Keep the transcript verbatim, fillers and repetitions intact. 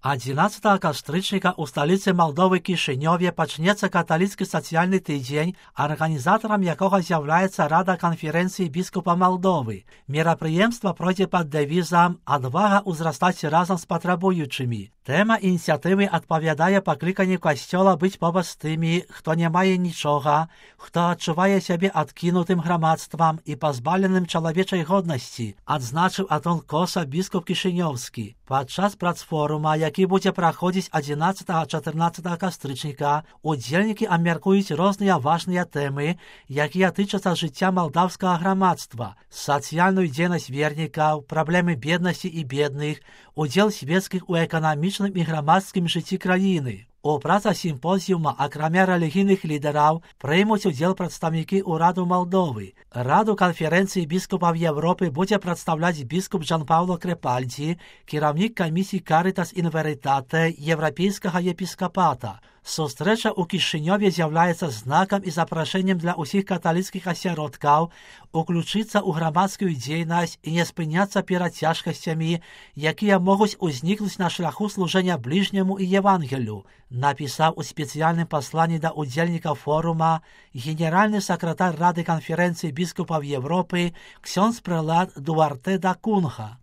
адзінаццатага кастрычніка ў сталіцы Малдовы Кішынёве пачнецца каталіцкі сацыяльны тыдзень, арганізатарам якога з'яўляецца Рада канферэнцыі біскупа Малдовы. Мерапрыемства пройдзе пад дэвізам «Адвага ўзрастаць разам з патрабуючымі». Тэма ініцыятывы адпавядае пакліканню касцёла быць побач з тымі, хто не мае нічога, хто адчувае сябе адкінутым грамадствам і пазбаўленым чалавечай годнасці, адзначыў Атон Коса, біскуп кішынёўскі. Падчас працфорума, які будзе праходзіць адзінаццатага-чатырнаццатага кастрычніка, удзельнікі абмяркуюць розныя важныя тэмы, якія тычацца жыцця малдаўскага грамадства, сацыяльную дзейнасць вернікаў, праблемы беднасці і бедных, удзел свецкіх у эканамічным і грамадскім жыцці краіны. У працах сімпозіума, акрамя рэлігійных лідараў, прымуць удзел прадстаўнікі ўраду Малдовы. Раду канферэнцыі біскупаў Европы будзе прадстаўляць біскуп Джан-Паўло Крэпальдзі, кіраўнік камісіі Карытас ін Верытате еўрапейскага епіскапата. Сустрэча ў Кішынёве з'яўляецца знакам і запрашэннем для ўсіх каталіцкіх асяродкаў уключыцца ў грамадскую дзейнасць і не спыняцца перад цяжкасцямі, якія могуць узнікнуць на шляху служэння бліжняму і Евангелю, напісаў у спецыяльным пасланні да удзельнікаў форума генеральны сакратар Рады канферэнцыі біскупаў Европы ксёндз прэлат Дуарте да Кунха.